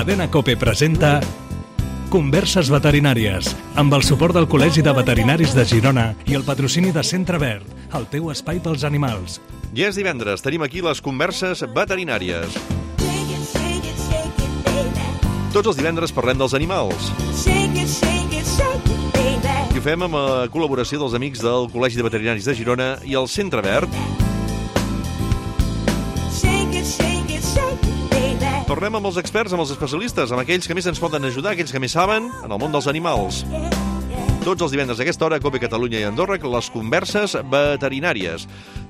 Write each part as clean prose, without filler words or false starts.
Cadena COPE presenta Converses veterinàries, amb el suport del Col·legi de Veterinaris de Girona i el patrocini de Centre Verd, el teu espai pels animals. Ja és divendres, tenim aquí les Converses veterinàries. Tots els divendres parlem dels animals. I ho fem amb la col·laboració dels amics del Col·legi de Veterinaris de Girona i el Centre Verd. Tornem amb els experts, amb els especialistes, amb aquells que més ens poden ajudar, aquells que més saben en el món dels animals. Tots els divendres a aquesta hora, a COPE Catalunya i Andorra, les Converses veterinàries.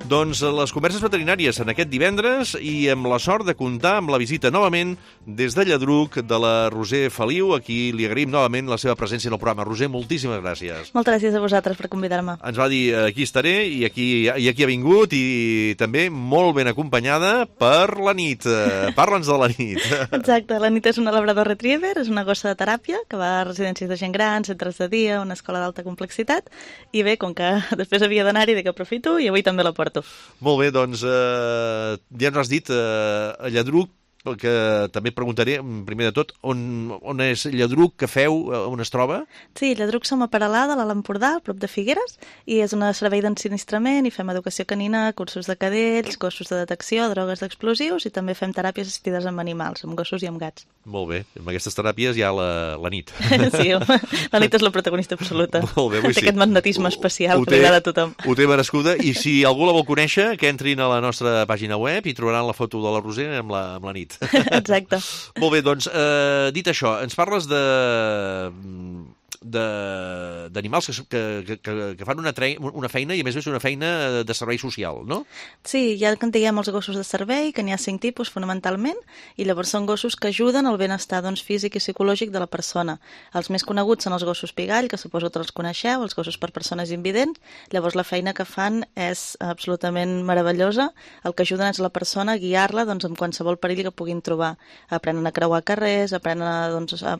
Doncs les Converses veterinàries en aquest divendres i amb la sort de comptar amb la visita novament des de Lladruc de la Roser Feliu, a qui li agraïm novament la seva presència en el programa. Roser, moltíssimes gràcies. Moltes gràcies a vosaltres per convidar-me. Ens va dir aquí estaré i aquí ha vingut i també molt ben acompanyada per la nit. Parla'ns de la nit. Exacte, la nit és una labrador retriever, és una gossa de teràpia que va a residències de gent gran, centres de dia, una escola d'alta complexitat, i bé, com que després havia d'anar-hi, dic que aprofito i avui també la porto. Molt bé, doncs ja ens has dit a Lladruc, que també et preguntaré, primer de tot, on és Lladruc, què feu, on es troba? Sí, Lladruc som a Peralada, a l'Empordà, a prop de Figueres, i és un servei d'ensinistrament, i fem educació canina, cursos de cadells, gossos de detecció, drogues d'explosius, i també fem teràpies assistides amb animals, amb gossos i amb gats. Molt bé, amb aquestes teràpies hi ha la nit. Sí, la nit és la protagonista absoluta. Molt bé, té aquest magnetisme especial que li agrada a tothom. Ho té merescuda, i si algú la vol conèixer, que entrin a la nostra pàgina web i trobaran la foto de la Roser amb la nit. Exacte. Molt bé, doncs, dit això, ens parles d'animals que fan una feina, i a més és una feina de servei social, no? Sí, ja que en diguem els gossos de servei, que n'hi ha 5 tipus fonamentalment, i llavors són gossos que ajuden al benestar físic i psicològic de la persona. Els més coneguts són els gossos pigall, que suposo que els coneixeu, els gossos per persones invidents. Llavors la feina que fan és absolutament meravellosa. El que ajuden és la persona a guiar-la en qualsevol perill que puguin trobar. Aprenen a creuar carrers, aprenen a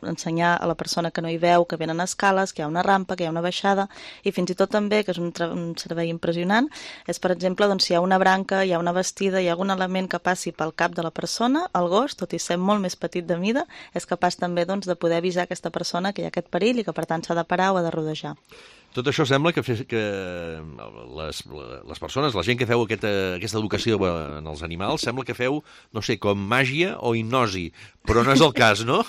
ensenyar a la persona que no hi veu que venen escales, que hi ha una rampa, que hi ha una baixada, i fins i tot també, que és un servei impressionant, és, per exemple, si hi ha una branca, hi ha una bastida, hi ha algun element que passi pel cap de la persona, el gos, tot i ser molt més petit de mida, és capaç també de poder avisar aquesta persona que hi ha aquest perill i que, per tant, s'ha de parar o ha de rodejar. Tot això sembla que les persones, la gent que feu aquesta educació en els animals, sembla que feu, no sé, com màgia o hipnosi, però no és el cas, no?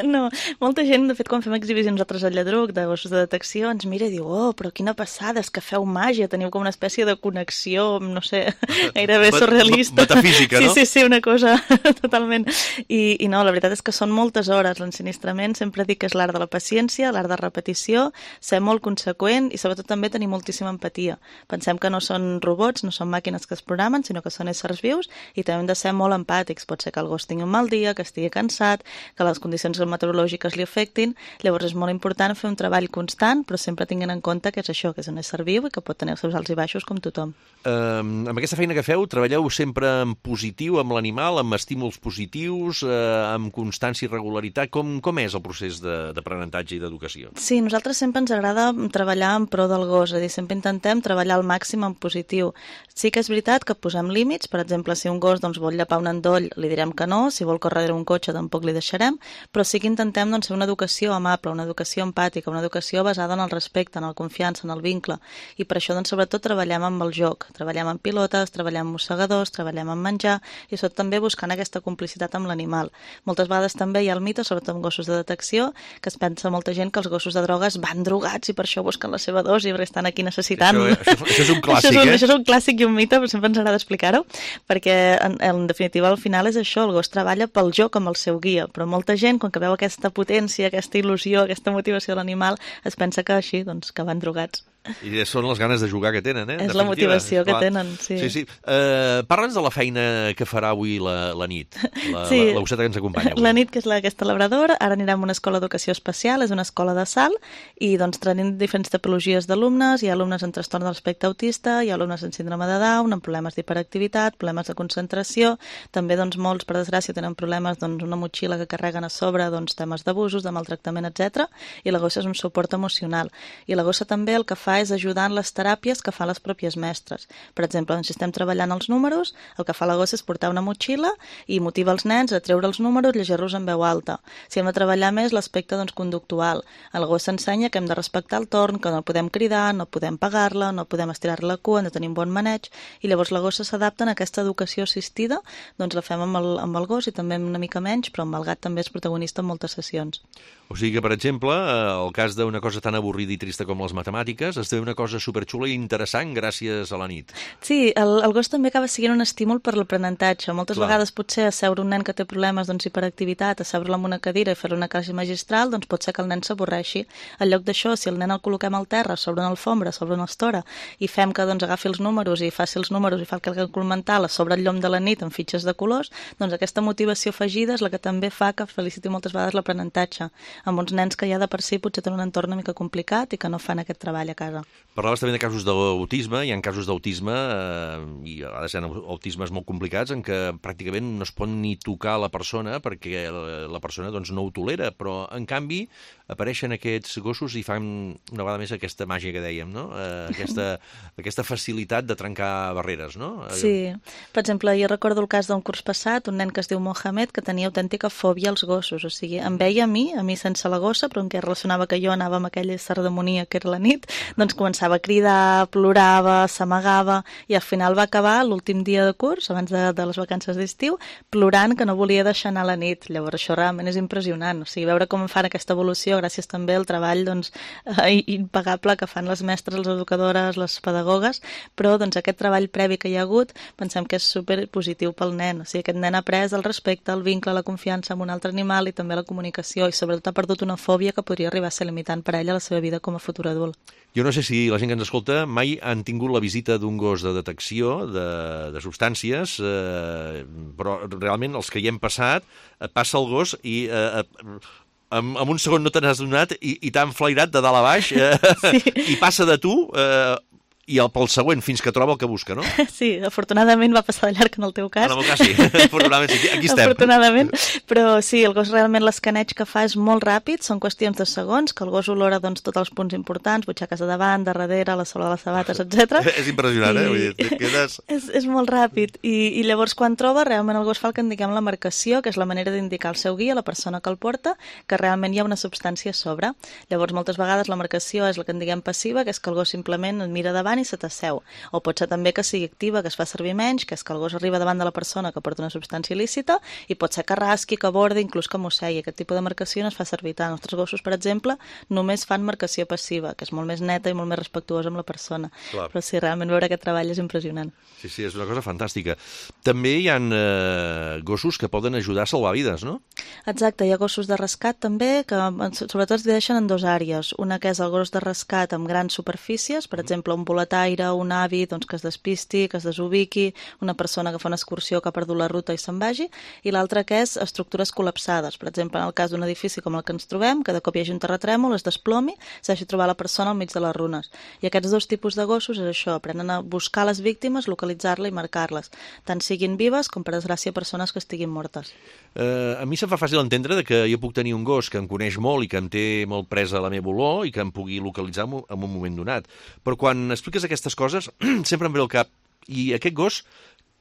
No, molta gent, de fet, quan fem exhibicions nosaltres al Lladruc de gossos de detecció, ens mira i diu, oh, però quina passada, és que feu màgia, teniu com una espècie de connexió, no sé, gairebé surrealista. Metafísica, no? Sí, una cosa totalment. I no, la veritat és que són moltes hores. L'ensinistrament sempre dic que és l'art de la paciència, l'art de repetició, ser molt conseqüent i sobretot també tenir moltíssima empatia. Pensem que no són robots, no són màquines que es programen, sinó que són éssers vius i també hem de ser molt empàtics. Pot ser que el gos tingui un mal dia, que estigui cansat, que les condicions meteorològiques li afectin. Llavors és molt important fer un treball constant, però sempre tinguent en compte que és això, que és un ésser viu i que pot tenir els seus alts i baixos com tothom. Amb aquesta feina que feu, treballeu sempre en positiu amb l'animal, amb estímuls positius, amb constància i regularitat. Com és el procés d'aprenentatge i d'educació? Sí, nosaltres sempre ens agrada treballar en pro del gos, és a dir, sempre intentem treballar al màxim en positiu. Sí que és veritat que posem límits, per exemple, si un gos vol llepar un endoll, li direm que no, si vol córrer darrere un cotxe tampoc li deixarem, però sí que intentem fer una educació amable, una educació empàtica, una educació basada en el respecte, en la confiança, en el vincle, i per això sobretot treballem amb el joc, treballem amb pilotes, treballem amb mossegadors, treballem amb menjar, i sobretot també buscant aquesta complicitat amb l'animal. Moltes vegades també hi ha el mite, sobretot amb gossos de detecció, que es pensa molta gent que els gossos de drogues van drogats i per això busquen la seva dosi perquè estan aquí necessitant. Això és un clàssic, Això és un clàssic i un mite, però sempre ens agrada explicar-ho, perquè en definitiva al final és això, el gos treballa pel joc amb el seu guia, però molta gent, quan veu aquesta potència, aquesta il·lusió, aquesta motivació de l'animal, es pensa que així, que van drogats. I són les ganes de jugar que tenen, És la motivació que tenen, sí. Sí. Parla'ns de la feina que farà avui la nit, la gosseta que ens acompanya avui. La nit, que és aquesta labradora, ara anirà a una escola d'educació especial, és una escola de salt, i tenim diferents tipologies d'alumnes, hi ha alumnes amb trastorn de l'espectre autista, hi ha alumnes amb síndrome de Down, amb problemes d'hiperactivitat, problemes de concentració, també molts, per desgràcia, tenen problemes una motxilla que carreguen a sobre, temes d'abusos, de maltractament, etc. I la gossa és un suport emocional. I la gossa també el que fa fa és ajudar en les teràpies que fan les pròpies mestres. Per exemple, si estem treballant els números, el que fa la gossa és portar una motxilla i motiva els nens a treure els números, llegir-los en veu alta. Si hem de treballar més l'aspecte conductual, el gos s'ensenya que hem de respectar el torn, que no podem cridar, no podem pegar-la, no podem estirar la cua, hem de tenir un bon maneig, i llavors la gossa s'adapta a aquesta educació assistida, doncs la fem amb el gos i també una mica menys, però amb el gat també és protagonista en moltes sessions. O sigui que, per exemple, el cas d'una cosa tan avorrida i trista com les matemàtiques, esdevé una cosa superxula i interessant gràcies a la nit. Sí, el gos també acaba sent un estímul per l'aprenentatge. Moltes vegades potser asseure un nen que té problemes d'hiperactivitat, asseure-lo en una cadira i fer-li una classe magistral, doncs pot ser que el nen s'avorreixi. En lloc d'això, si el nen el col·loquem al terra, sobre una alfombra, sobre una estora, i fem que agafi els números i faci els números i fa el càlcul mental a sobre el llom de la nit amb fitxes de colors, doncs aquesta motivació afegida és la que també fa que feliciti moltes vegades l'aprenentatge, amb uns nens que ja de per si potser tenen un entorn una mica complicat i que no fan aquest treball a casa. Parlaves també de casos d'autisme, hi ha casos d'autisme, i a vegades hi ha autismes molt complicats en què pràcticament no es pot ni tocar la persona perquè la persona no ho tolera, però en canvi apareixen aquests gossos i fan una vegada més aquesta màgia que dèiem, no? Aquesta facilitat de trencar barreres, no? Sí. Per exemple, jo recordo el cas d'un curs passat, un nen que es diu Mohamed, que tenia autèntica fòbia als gossos, o sigui, em veia a mi sense la gossa, però en què relacionava que jo anava amb aquella cerdamonia que era la nit, doncs començava a cridar, plorava, s'amagava, i al final va acabar l'últim dia de curs, abans de les vacances d'estiu, plorant que no volia deixar anar a la nit. Llavors això realment és impressionant, o sigui, veure com fan aquesta evolució gràcies també al treball impagable que fan les mestres, les educadores, les pedagogues, però aquest treball previ que hi ha hagut pensem que és superpositiu pel nen, o sigui, aquest nen ha après el respecte, el vincle, la confiança amb un altre animal i també la comunicació, i sobretot ha perdut una fòbia que podria arribar a ser limitant per a ella a la seva vida com a futur adult. Jo no sé si la gent que ens escolta mai han tingut la visita d'un gos de detecció de substàncies, però realment els que hi hem passat, passa el gos i en un segon no te n'has donat i t'ha enflairat de dalt a baix i passa de tu i pel següent fins que troba el que busca, no? Sí, afortunadament va passar de llarg en el teu cas. En el meu cas sí, afortunadament sí, aquí estem. Afortunadament, però sí, el gos realment l'escaneig que fa és molt ràpid, són qüestions de segons, que el gos olora tots els punts importants, butxaques de davant, de darrere, la sola de les sabates, etc. És impressionant, Vull dir, quedes... És molt ràpid, i llavors quan troba, realment el gos fa el que en diguem la marcació, que és la manera d'indicar al seu guia, la persona que el porta, que realment hi ha una substància a sobre. Llavors, moltes vegades la marcació és la que en diguem passiva, que és que el gos simplement et mira davant i se t'asseu. O pot ser també que sigui activa, que es fa servir menys, que és que el gos arriba davant de la persona que porta una substància il·lícita, i pot ser que rasqui, que bordi, inclús que mossegui. Aquest tipus de marcació no es fa servir tant. Els nostres gossos, per exemple, només fan marcació passiva, que és molt més neta i molt més respectuosa amb la persona. Clar. Però sí, realment veure aquest treball és impressionant. Sí, és una cosa fantàstica. També hi ha gossos que poden ajudar a salvar vides, no? Exacte, hi ha gossos de rescat també, que sobretot es divideixen en dues àrees. Una que és el gos de rescat amb grans superfícies, per exemple, un boletaire, un avi que es despisti, que es desubiqui, una persona que fa una excursió que ha perdut la ruta i se'n vagi, i l'altra que és estructures col·lapsades. Per exemple, en el cas d'un edifici com el que ens trobem, que de cop hi hagi un terratrèmol, es desplomi, s'hagi trobar la persona al mig de les runes. I aquests dos tipus de gossos és això, aprenen a buscar les víctimes, localitzar-les i marcar-les, tant siguin vives com, per desgràcia, persones que estiguin mortes. A mi se'm fa fàcil entendre que jo puc tenir un gos que em coneix molt i que em té molt presa la meva olor i que em pugui localitzar en un moment donat. Però quan expliques aquestes coses, sempre em ve al cap, i aquest gos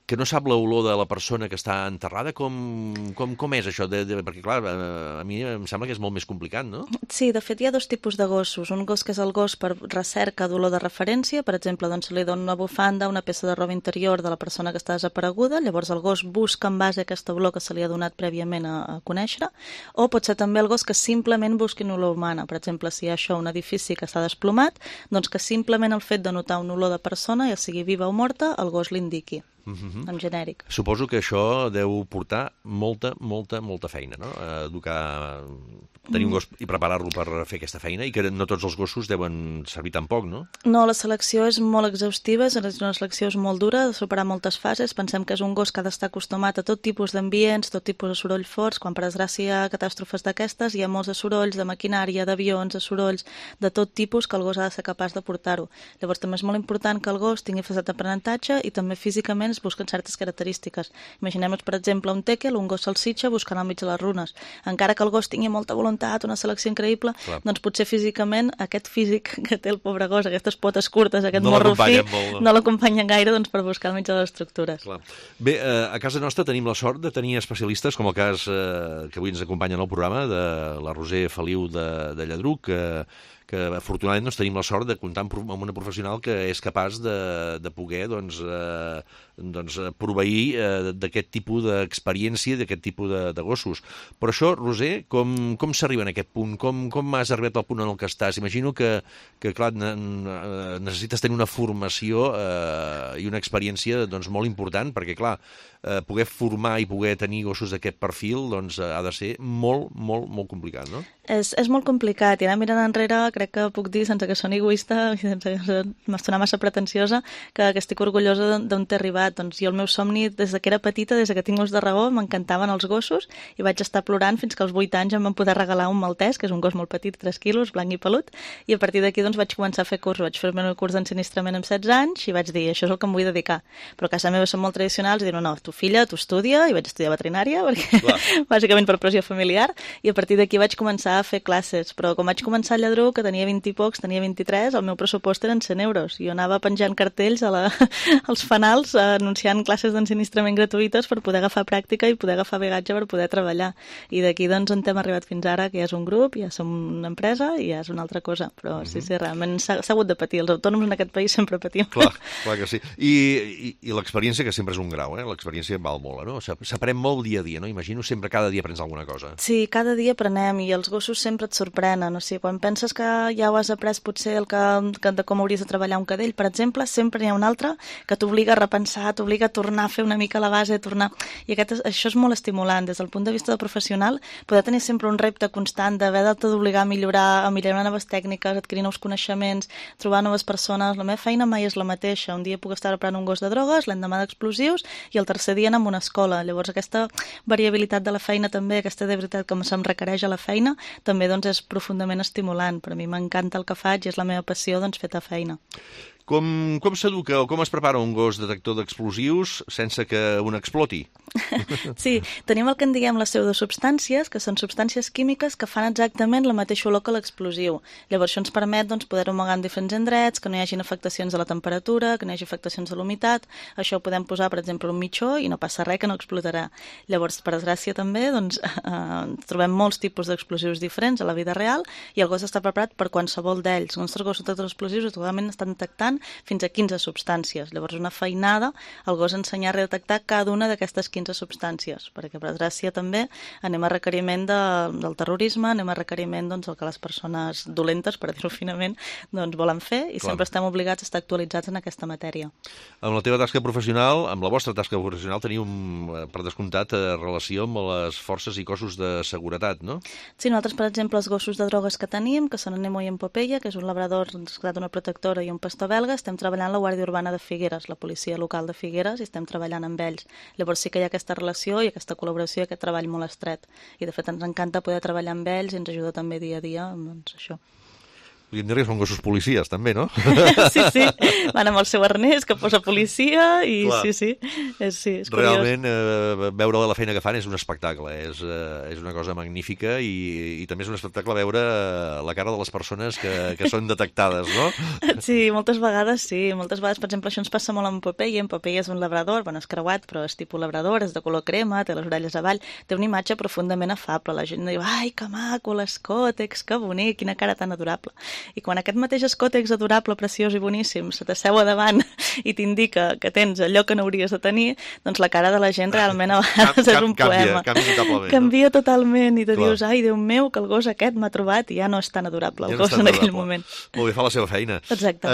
que no sap l'olor de la persona que està enterrada, com és això? Perquè, clar, a mi em sembla que és molt més complicat, no? Sí, de fet hi ha dos tipus de gossos. Un gos que és el gos per recerca d'olor de referència, per exemple, doncs se li dona una bufanda, una peça de roba interior de la persona que està desapareguda, llavors el gos busca en base a aquesta olor que se li ha donat prèviament a conèixer, o pot ser també el gos que simplement busqui una olor humana. Per exemple, si hi ha això, un edifici que s'ha desplomat, doncs que simplement el fet de notar una olor de persona, ja sigui viva o morta, el gos l'indiqui. En genèric. Suposo que això deu portar molta feina, no? Tenir un gos i preparar-lo per fer aquesta feina, i que no tots els gossos deuen servir tan poc, no? No, la selecció és molt exhaustiva, és una selecció molt dura, de superar moltes fases. Pensem que és un gos que ha d'estar acostumat a tot tipus d'ambients, tot tipus de sorolls forts. Quan per desgràcia hi ha catàstrofes d'aquestes, hi ha molts de sorolls, de maquinària, d'avions, de sorolls, de tot tipus, que el gos ha de ser capaç de portar-ho. Llavors també és molt important que el gos tingui facilitat d'aprenentatge i també físicament diferents, busquen certes característiques. Imaginem-nos, per exemple, un teckel, un gos salsitxa buscant al mig de les runes. Encara que el gos tingui molta voluntat, una selecció increïble, doncs potser físicament aquest físic que té el pobre gos, aquestes potes curtes, aquest morro fi, no l'acompanyen gaire doncs, per buscar al mig de les estructures. Clar. Bé, a casa nostra tenim la sort de tenir especialistes, com el cas que avui ens acompanyen al programa, de la Roser Feliu de Lladruc, que afortunadament doncs, tenim la sort de comptar amb una professional que és capaç de poder proveir d'aquest tipus d'experiència, d'aquest tipus de gossos. Però això, Roser, com s'arriba en aquest punt? Com has arribat al punt en el que estàs? Imagino que clar, necessites tenir una formació i una experiència doncs, molt important, perquè, clar, poder formar i poder tenir gossos d'aquest perfil doncs, ha de ser molt, molt, molt complicat, no? És molt complicat, i ara mirant enrere crec que puc dir, sense que soni egoista i sense que m'estona massa pretensiosa, que estic orgullosa d'on t'he arribat. Doncs jo el meu somni des que era petita, des que tinc ús de raó, m'encantaven els gossos i vaig estar plorant fins que als 8 anys em van poder regalar un maltès, que és un gos molt petit, 3 quilos, blanc i pelut, i a partir d'aquí doncs, vaig començar a fer curs. Vaig fer el meu curs d'ensinistrament amb 16 anys i vaig dir, això és el que em vull dedicar. Però a casa meva són molt tradicionals i diuen, no, tu filla, tu estudia, i vaig estudiar veterinària, perquè bàsicament per pressió familiar, i a partir d'aquí vaig començar a fer classes. Però com vaig començar a Lladruc, que tenia 20 i pocs, tenia 23, el meu pressupost eren 100 euros. Jo anava penjant cartells als fanals anunciant classes d'ensinistrament gratuïtes per poder agafar pràctica i poder agafar bagatge per poder treballar. I d'aquí doncs on hem arribat fins ara, que ja és un grup, ja som una empresa i ja és una altra cosa. Però sí, realment s'ha hagut de patir. Els autònoms en aquest país sempre patim. Clar que sí. I l'experiència, que sempre és un grau, l'experiència val molt, no? S'aprèn molt dia a dia, no? Imagino sempre cada dia aprens alguna cosa. Sí, cada dia aprenem i els gossos sempre et sorprenen. O sigui, quan penses que ja ho has après potser de com hauries de treballar un cadell, per exemple, sempre hi ha un altre que t'obliga a repensar, t'obliga a tornar a fer una mica la base, I això és molt estimulant. Des del punt de vista de professional, poder tenir sempre un repte constant d'haver de d'obligar a millorar noves tècniques, adquirir nous coneixements, trobar noves persones. La meva feina mai és la mateixa. Un dia puc estar preparant un gos de drogues, l'endemà d'explosius i el tercer dia anar a una escola. Llavors aquesta variabilitat de la feina també, aquesta de veritat que se'm requereix a la feina, també doncs, és profundament estimulant. Per a mi m'encanta el que faig i és la meva passió fer feina. Com s'educa o com es prepara un gos detector d'explosius sense que un exploti? Sí, tenim el que en diguem les pseudosubstàncies, que són substàncies químiques que fan exactament la mateixa olor que l'explosiu. Llavors això ens permet poder-ho amagar en diferents indrets, que no hi hagin afectacions de la temperatura, que no hi hagi afectacions de l'humitat. Això ho podem posar, per exemple, un mitjó i no passa res, que no explotarà. Llavors, per desgràcia també, trobem molts tipus d'explosius diferents a la vida real i el gos està preparat per qualsevol d'ells. Els nostres gossos detectors d'explosius actualment estan detectant fins a 15 substàncies. Llavors, una feinada, el gos ensenyar a redetectar cada una d'aquestes 15 substàncies, perquè per desgràcia també anem a requeriment del terrorisme, anem a requeriment del que les persones dolentes, per dir-ho finament, volen fer i sempre estem obligats a estar actualitzats en aquesta matèria. Amb la teva tasca professional, amb la vostra tasca professional, teniu, per descomptat, relació amb les forces i cossos de seguretat, no? Sí, nosaltres, per exemple, els gossos de drogues que tenim, que són en Nemo i en Popeye, que és un labrador, una protectora i un pastor belga, estem treballant a la Guàrdia Urbana de Figueres, la policia local de Figueres, i estem treballant amb ells. Llavors sí que hi ha aquesta relació i aquesta col·laboració i aquest treball molt estret. I de fet ens encanta poder treballar amb ells i ens ajuda també dia a dia amb això. Podríem dir que són gossos policies, també, no? Sí, van amb el seu arnès que posa policia i sí, és curiós. Realment, veure la feina que fan és un espectacle, és una cosa magnífica i també és un espectacle veure la cara de les persones que són detectades, no? Sí, moltes vegades, per exemple, això ens passa molt amb Popeye. En Popeye és un labrador, és creuat, però és tipus labrador, és de color crema, té les orelles avall, té una imatge profundament afable. La gent diu, ai, que maco, l'escòtex, que bonic, quina cara tan adorable. I quan aquest mateix escòtex adorable, preciós i boníssim se t'asseu a davant i t'indica que tens allò que no hauries de tenir, doncs la cara de la gent realment a vegades és un poema. Canvia totalment i te dius, ai, Déu meu, que el gos aquest m'ha trobat i ja no és tan adorable el gos en aquell moment. Molt bé, fa la seva feina. Exacte.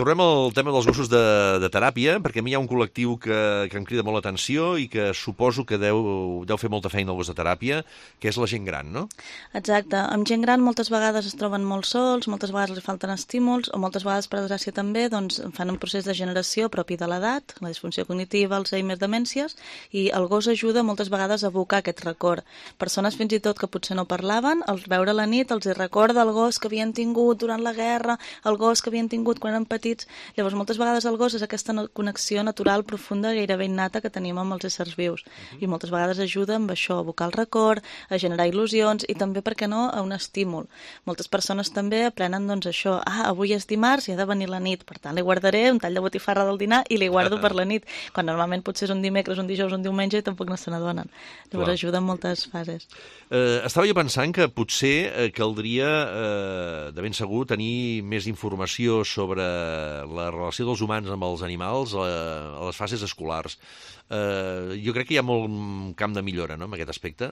Tornem al tema dels gossos de teràpia, perquè a mi hi ha un col·lectiu que em crida molt l'atenció i que suposo que deu fer molta feina al gos de teràpia, que és la gent gran, no? Exacte. Amb gent gran moltes vegades es troben molt molt sols, moltes vegades els falten estímuls, o moltes vegades, per desgràcia també, doncs, fan un procés de generació propi de l'edat, la disfunció cognitiva, Alzheimer, demències, i el gos ajuda moltes vegades a evocar aquest record. Persones fins i tot que potser no parlaven, al veure la nit els recorda el gos que havien tingut durant la guerra, el gos que havien tingut quan eren petits. Llavors, moltes vegades el gos és aquesta connexió natural, profunda, gairebé innata que tenim amb els éssers vius. I moltes vegades ajuda amb això, a evocar el record, a generar il·lusions i també, per què no, a un estímul. Moltes persones també aprenen doncs això, avui és dimarts i ha de venir la nit, per tant li guardaré un tall de botifarra del dinar i li guardo per la nit, quan normalment potser és un dimecres, un dijous, un diumenge i tampoc no se n'adonen. Llavors ajuda en moltes fases. Estava jo pensant que potser caldria, de ben segur, tenir més informació sobre la relació dels humans amb els animals a les fases escolars. Jo crec que hi ha molt camp de millora, no?, en aquest aspecte.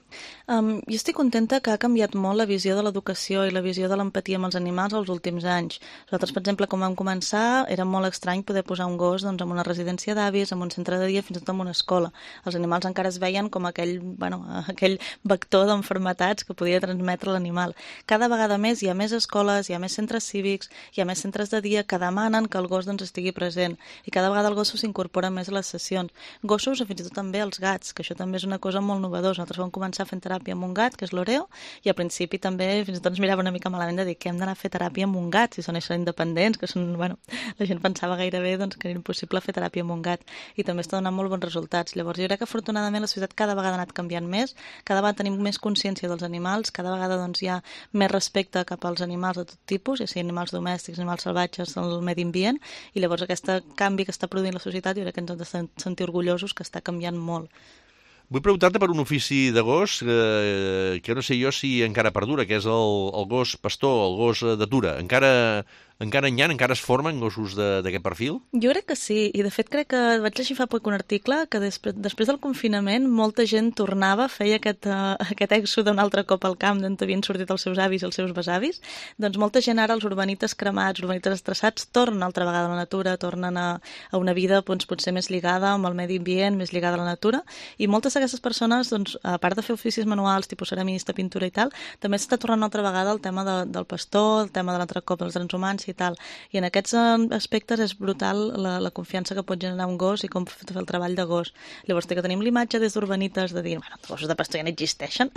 Jo estic contenta que ha canviat molt la visió de l'educació i la visió de l'empatia amb els animals els últims anys. Nosaltres, per exemple, quan vam començar, era molt estrany poder posar un gos en una residència d'avis, en un centre de dia, fins i tot en una escola. Els animals encara es veien com aquell vector d'enfermetats que podia transmetre l'animal. Cada vegada més hi ha més escoles, hi ha més centres cívics, hi ha més centres de dia que demanen que el gos estigui present i cada vegada el gos s'incorpora més a les sessions. Gossos o fins i tot també els gats, que això també és una cosa molt novedosa. Nosaltres vam començar fent teràpia amb un gat, que és l'Oreo, i al principi també fins i tot ens mirava una mica malament de dir que hem d'anar a fer teràpia amb un gat, si són independents, que són, la gent pensava gairebé que era impossible fer teràpia amb un gat, i també està donant molt bons resultats. Llavors jo crec que afortunadament la societat cada vegada ha anat canviant més, cada vegada tenim més consciència dels animals, cada vegada hi ha més respecte cap als animals de tot tipus, ja sigui animals domèstics, animals salvatges, el medi ambient, i llavors aquest canvi que està produint la societat jo crec que ens hem de sentir orgullosos, que està canviant molt. Vull preguntar-te per un ofici de gos que no sé jo si encara perdura, que és el gos pastor, el gos d'atura. Encara es formen gossos d'aquest perfil? Jo crec que sí, i de fet crec que vaig llegir fa poc un article que després del confinament molta gent tornava, feia aquest èxode un altre cop al camp d'on havien sortit els seus avis i els seus besavis. Doncs molta gent ara, els urbanites cremats, urbanites estressats, tornen altra vegada a la natura, tornen a una vida potser més lligada amb el medi ambient, més lligada a la natura, i moltes d'aquestes persones, a part de fer oficis manuals, tipus ceramista, pintura i tal, també s'està tornant altra vegada el tema del pastor, el tema de l'altre cop dels drets humans i tal. I en aquests aspectes és brutal la confiança que pot generar un gos i com fer el treball de gos. Llavors que tenim l'imatge des d'urbanites de dir, els gossos de pastor ja no existeixen.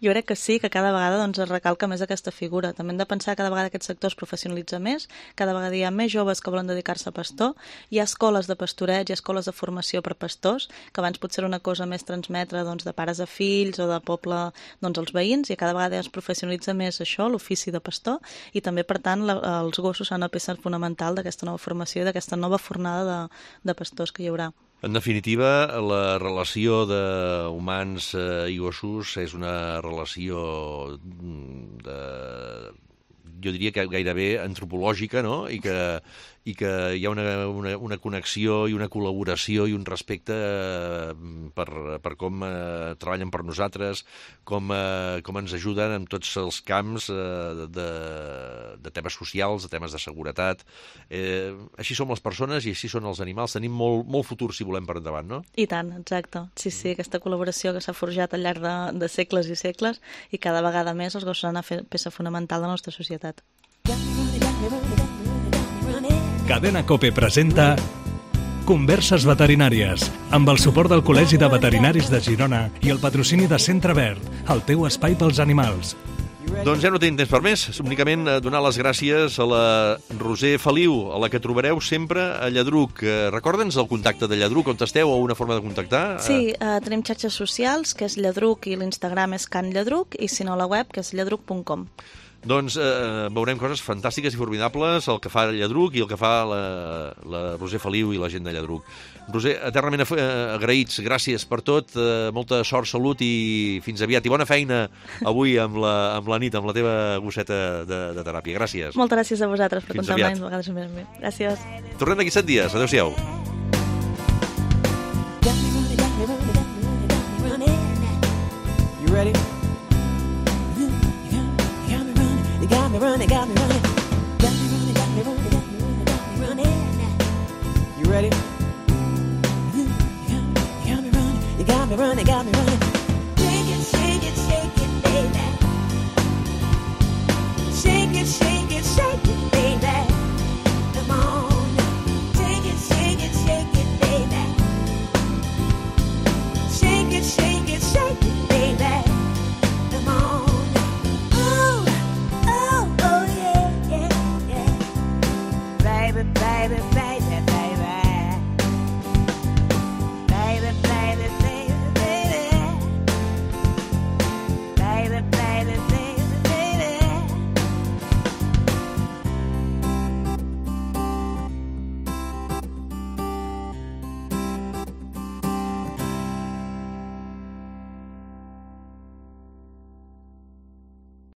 Jo crec que sí, que cada vegada es recalca més aquesta figura. També hem de pensar que cada vegada aquest sector es professionalitza més, cada vegada hi ha més joves que volen dedicar-se a pastor, hi ha escoles de pastoreig, hi ha escoles de formació per pastors, que abans potser era una cosa més transmetre de pares a fills o de poble als veïns, i cada vegada es professionalitza més això, l'ofici de pastor, i també, per tant, els gossos són una peça fonamental d'aquesta nova formació i d'aquesta nova fornada de pastors que hi haurà. En definitiva, la relació d'humans i gossos és una relació jo diria que gairebé antropològica, no? I que hi ha una connexió i una col·laboració i un respecte per com treballen per nosaltres, com ens ajuden en tots els camps de temes socials, de temes de seguretat. Així som les persones i així són els animals. Tenim molt futur si volem per endavant, no? I tant, exacte. Sí, aquesta col·laboració que s'ha forjat al llarg de segles i segles, i cada vegada més els gossos han una peça fonamental de la nostra societat. Cadena COPE presenta Converses veterinàries, amb el suport del Col·legi de Veterinaris de Girona i el patrocini de Centre Verd, el teu espai pels animals. Doncs ja no tenim temps per més, únicament donar les gràcies a la Roser Feliu, a la que trobareu sempre a Lladruc. Recorda'ns el contacte de Lladruc, on esteu, o una forma de contactar? Sí, tenim xarxes socials, que és Lladruc, i l'Instagram és Can Lladruc, i si no la web, que és lladruc.com. Doncs veurem coses fantàstiques i formidables, el que fa Lladruc i el que fa la Roser Feliu i la gent de Lladruc. Roser, eternament agraïts, gràcies per tot, molta sort, salut i fins aviat. I bona feina avui amb la nit, amb la teva gosseta de teràpia. Gràcies. Moltes gràcies a vosaltres per comptar amb vegades més amb mi. Gràcies. Tornem d'aquí 7 dies. Adéu-siau. You ready? Got me running, got me running. Got me running, got me running, got me running, got me running. You ready? You got me running, you got me running, got me running.